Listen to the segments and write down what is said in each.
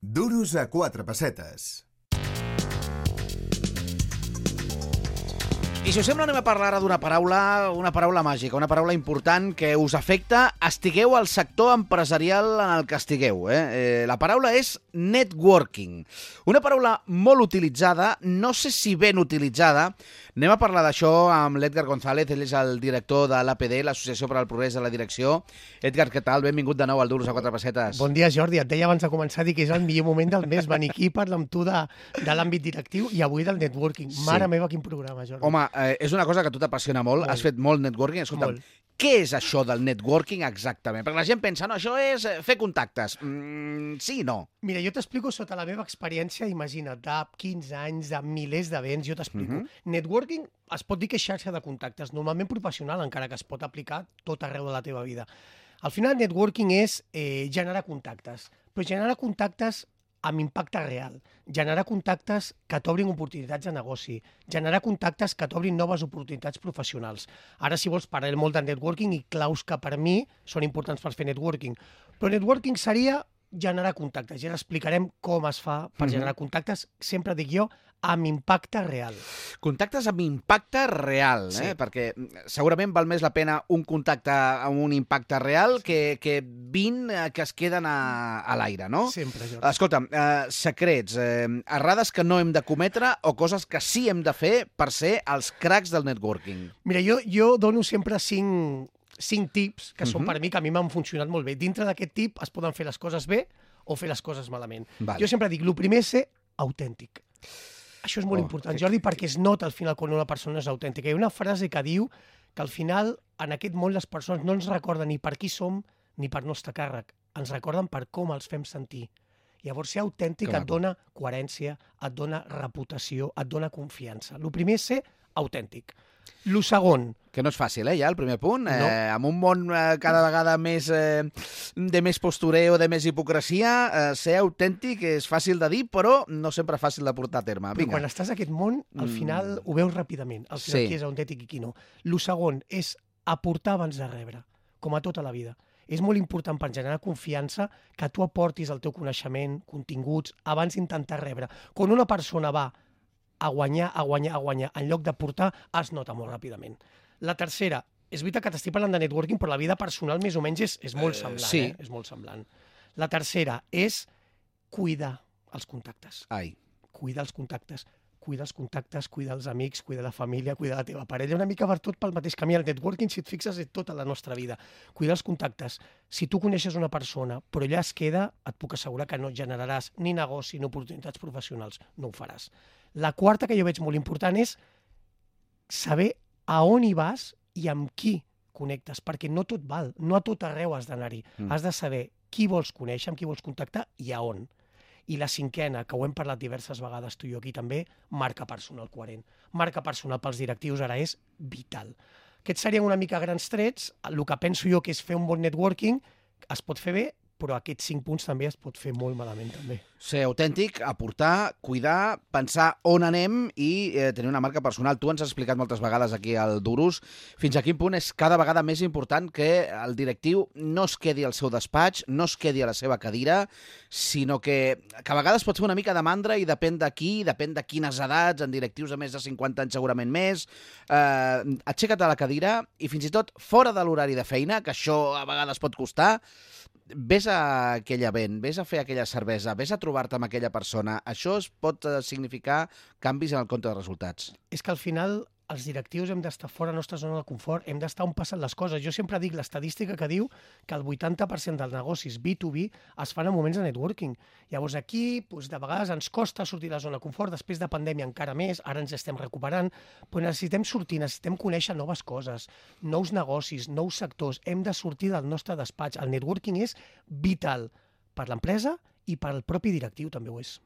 Duros a 4 pessetes. I si us sembla anem a parlar ara d'una paraula màgica, una paraula important que us afecta, estigueu al sector empresarial en el que estigueu. La paraula és networking. Una paraula molt utilitzada, no sé si ben utilitzada. Anem a parlar d'això amb l'Edgar González, ell és el director de l'APD, l'Associació per al Progrés de la Direcció. Edgar, què tal? Benvingut de nou al Duros a 4 pessetes. Bon dia, Jordi. Et deia abans de començar a dir que és el millor moment del mes venir aquí, parlar amb tu de l'àmbit directiu i avui del networking. Mare meva, quin programa, Jordi. Home, és una cosa que a tu t'apassiona molt. Has fet molt networking. Escolta'm, què és això del networking exactament? Perquè la gent pensa, no, això és fer contactes. Sí i no. Mira, jo t'explico sota la meva experiència, imagina't, de 15 anys, de milers d'events, jo t'explico. Networking es pot dir que és xarxa de contactes, normalment professional, encara que es pot aplicar tot arreu de la teva vida. Al final, networking és generar contactes, però generar contactes amb impacte real, generar contactes que t'obrin oportunitats de negoci, generar contactes que t'obrin noves oportunitats professionals. Ara, si vols, parlarem molt de networking i claus que per mi són importants per fer networking. Però networking seria generar contactes. Ja explicarem com es fa per generar contactes, sempre dic jo, amb impacte real. Contactes amb impacte real, Sí. Perquè segurament val més la pena un contacte amb un impacte real que 20 que es queden a l'aire, no? Sempre, Jordi. Escolta'm, secrets, errades que no hem de cometre o coses que sí hem de fer per ser els cracs del networking. Mira, jo dono sempre cinc tips que són per mi, que a mi m'han funcionat molt bé. Dintre d'aquest tip es poden fer les coses bé o fer les coses malament. Vale. Jo sempre dic, el primer és ser autèntic. Això és molt important, Jordi, perquè es nota al final quan una persona és autèntica. Hi ha una frase que diu que al final en aquest món les persones no ens recorden ni per qui som ni per nostre càrrec. Ens recorden per com els fem sentir. Llavors, ser autèntic et dona coherència, et dona reputació, et dona confiança. El primer és ser autèntic. El segon, Que no és fàcil, ja, el primer punt. No. Amb un món cada vegada més de més postureo, de més hipocresia, ser autèntic és fàcil de dir, però no sempre fàcil de portar a terme. però Vinga. quan estàs a aquest món, al final ho veus ràpidament, al final Sí. qui és autèntic i qui no. El segon és aportar abans de rebre, com a tota la vida. És molt important per generar confiança que tu aportis el teu coneixement, continguts, abans d'intentar rebre. Quan una persona va a guanyar, en lloc d'aportar, es nota molt ràpidament. La tercera, és veritat que t'estic parlant de networking, però la vida personal més o menys és molt semblant. sí. És molt semblant. La tercera és cuidar els contactes. Ai. Cuida els contactes, cuida els amics, cuida la família, cuida la teva parella, una mica per tot pel mateix camí. El networking, si et fixes, és tota la nostra vida. Cuida els contactes. Si tu coneixes una persona, però allà es queda, et puc assegurar que no generaràs ni negoci ni oportunitats professionals. No ho faràs. La quarta, que jo veig molt important, és saber a on hi vas i amb qui connectes, perquè no tot val, no a tot arreu has d'anar-hi. Has de saber qui vols conèixer, amb qui vols contactar i a on. I la cinquena, que ho hem parlat diverses vegades tu i jo aquí també, marca personal coherent. Marca personal pels directius ara és vital. Aquests serien una mica grans trets. El que penso jo que és fer un bon networking es pot fer bé, però aquests 5 punts també es pot fer molt malament també. Ser autèntic, aportar, cuidar, pensar on anem i tenir una marca personal. Tu ens has explicat moltes vegades aquí al Duros fins a quin punt és cada vegada més important que el directiu no es quedi al seu despatx, no es quedi a la seva cadira, sinó que a vegades pot fer una mica de mandra i depèn de qui, depèn de quines edats, en directius de més de 50 anys segurament més. Aixeca't a la cadira i fins i tot fora de l'horari de feina, que això a vegades pot costar, vés a aquell event, vés a fer aquella cervesa, vés a trobar-te amb aquella persona. Això es pot significar canvis en el compte de resultats. És que al final els directius hem d'estar fora de la nostra zona de confort, hem d'estar on passen les coses. Jo sempre dic l'estadística que diu que el 80% dels negocis B2B es fan en moments de networking. Llavors aquí, doncs, de vegades ens costa sortir de la zona de confort, després de pandèmia encara més, ara ens estem recuperant, però necessitem sortir, necessitem conèixer noves coses, nous negocis, nous sectors, hem de sortir del nostre despatx. El networking és vital per l'empresa i per al propi directiu també ho és.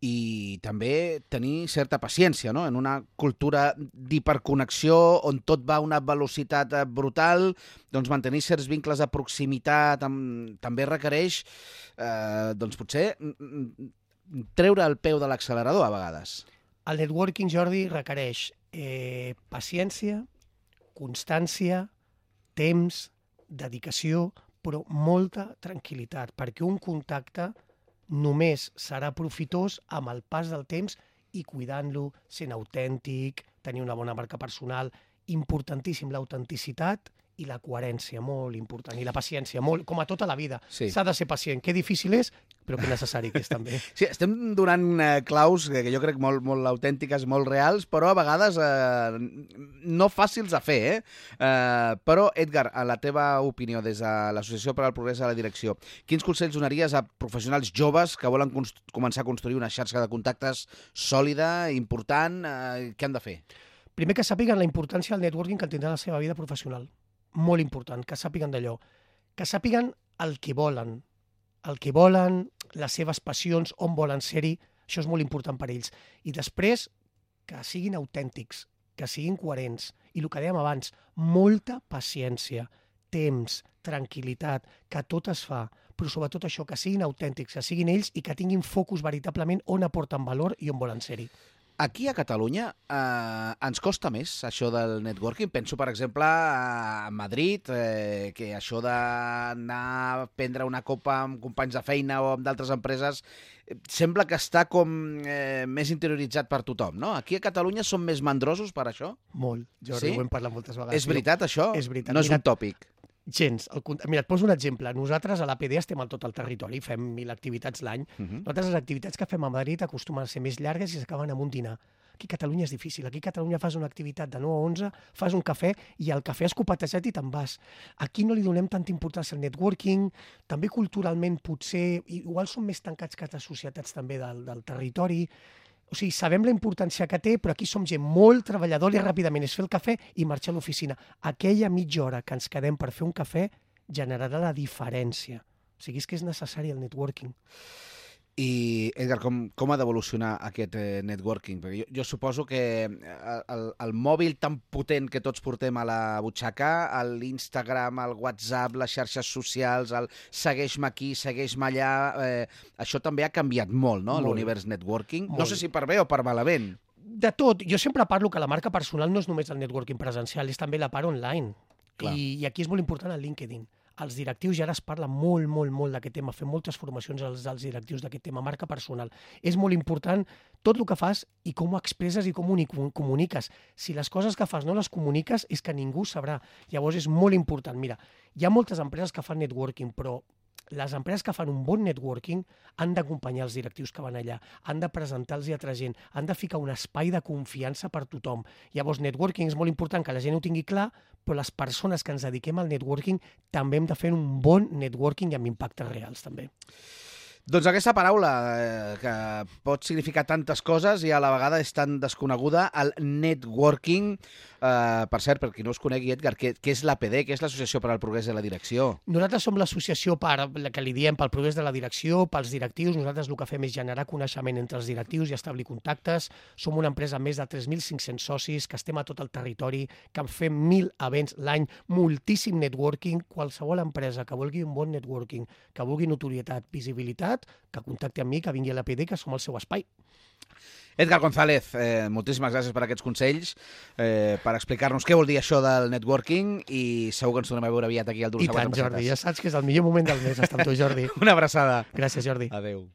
I també tenir certa paciència, no? En una cultura d'hiperconnexió on tot va a una velocitat brutal, doncs mantenir certs vincles de proximitat també requereix, doncs potser, treure el peu de l'accelerador a vegades. El networking, Jordi, requereix paciència, constància, temps, dedicació, però molta tranquil·litat, perquè un contacte només serà profitós amb el pas del temps i cuidant-lo, sent autèntic, tenir una bona marca personal. Importantíssim l'autenticitat i la coherència, molt important, i la paciència, molt, com a tota la vida. Sí. S'ha de ser pacient, que difícil és, però que necessari que és també. Sí, estem donant claus que jo crec molt autèntiques, molt reals, però a vegades no fàcils a fer, però, Edgar, a la teva opinió, des de l'Associació per al Progrés de la Direcció, quins consells donaries a professionals joves que volen començar a construir una xarxa de contactes sòlida, important, què han de fer? Primer, que sàpiguen la importància del networking que tindrà la seva vida professional. Molt important, que sàpiguen d'allò. Que sàpiguen el que volen, les seves passions, on volen ser-hi. Això és molt important per ells. I després, que siguin autèntics, que siguin coherents. I el que dèiem abans, molta paciència, temps, tranquil·litat, que tot es fa, però sobretot això, que siguin autèntics, que siguin ells i que tinguin focus veritablement on aporten valor i on volen ser-hi. Aquí a Catalunya ens costa més això del networking. Penso, per exemple, a Madrid, que això d'anar a prendre una copa amb companys de feina o amb d'altres empreses sembla que està com més interioritzat per tothom, no? Aquí a Catalunya som més mandrosos per això? Molt, Jordi, Sí? ho hem parlat moltes vegades. És veritat, això? És veritat. No és Mira, un tòpic. gens. Mira, et poso un exemple. Nosaltres a l'APD estem a tot el territori, fem 1.000 activitats l'any. Nosaltres les activitats que fem a Madrid acostumen a ser més llargues i s'acaben amb un dinar. Aquí a Catalunya és difícil. Aquí a Catalunya fas una activitat de 9 a 11, fas un cafè i el cafè has copatejat i te'n vas. Aquí no li donem tanta importància al networking, també culturalment potser, igual són més tancats que altres societats també del territori. O sigui, sabem la importància que té, però aquí som gent molt treballadora i ràpidament és fer el cafè i marxar a l'oficina. Aquella mitja hora que ens quedem per fer un cafè generarà la diferència. O sigui, és que és necessari el networking. I, Edgar, com ha d'evolucionar aquest networking? Perquè jo suposo que el mòbil tan potent que tots portem a la butxaca, l'Instagram, el WhatsApp, les xarxes socials, el segueix-me aquí, segueix-me allà, això també ha canviat molt, no?, l'univers networking. Molt. No sé si per bé o per malament. De tot. Jo sempre parlo que la marca personal no és només el networking presencial, és també la part online. Clar. I aquí és molt important el LinkedIn. Els directius, ja ara es parla molt d'aquest tema, fem moltes formacions als directius d'aquest tema, marca personal. És molt important tot el que fas i com ho expresses i com ho comuniques. Si les coses que fas no les comuniques, és que ningú sabrà. Llavors és molt important. Mira, hi ha moltes empreses que fan networking, però les empreses que fan un bon networking han d'acompanyar els directius que van allà, han de presentar-los a altra gent, han de ficar un espai de confiança per tothom. Llavors, networking és molt important que la gent ho tingui clar, però les persones que ens dediquem al networking també hem de fer un bon networking i amb impactes reals, també. Doncs aquesta paraula que pot significar tantes coses i a la vegada és tan desconeguda, el networking. Per cert, per qui no us conegui, Edgar, què és l'APD, què és l'Associació per al Progrés de la Direcció? Nosaltres som l'associació que li diem pel progrés de la direcció, pels directius. Nosaltres el que fem és generar coneixement entre els directius i establir contactes. Som una empresa amb més de 3.500 socis, que estem a tot el territori, que en fem 1.000 events l'any, moltíssim networking. Qualsevol empresa que vulgui un bon networking, que vulgui notorietat, visibilitat, que contacti amb mi, que vingui a l'APD, que som el seu espai. Edgar González, moltíssimes gràcies per aquests consells, per explicar-nos què vol dir això del networking i segur que ens tornem a veure aviat aquí al Duros a 4 Pessetes. I tant, Jordi, ja saps que és el millor moment del mes estar amb tu, Jordi. Una abraçada. Gràcies, Jordi. Adéu.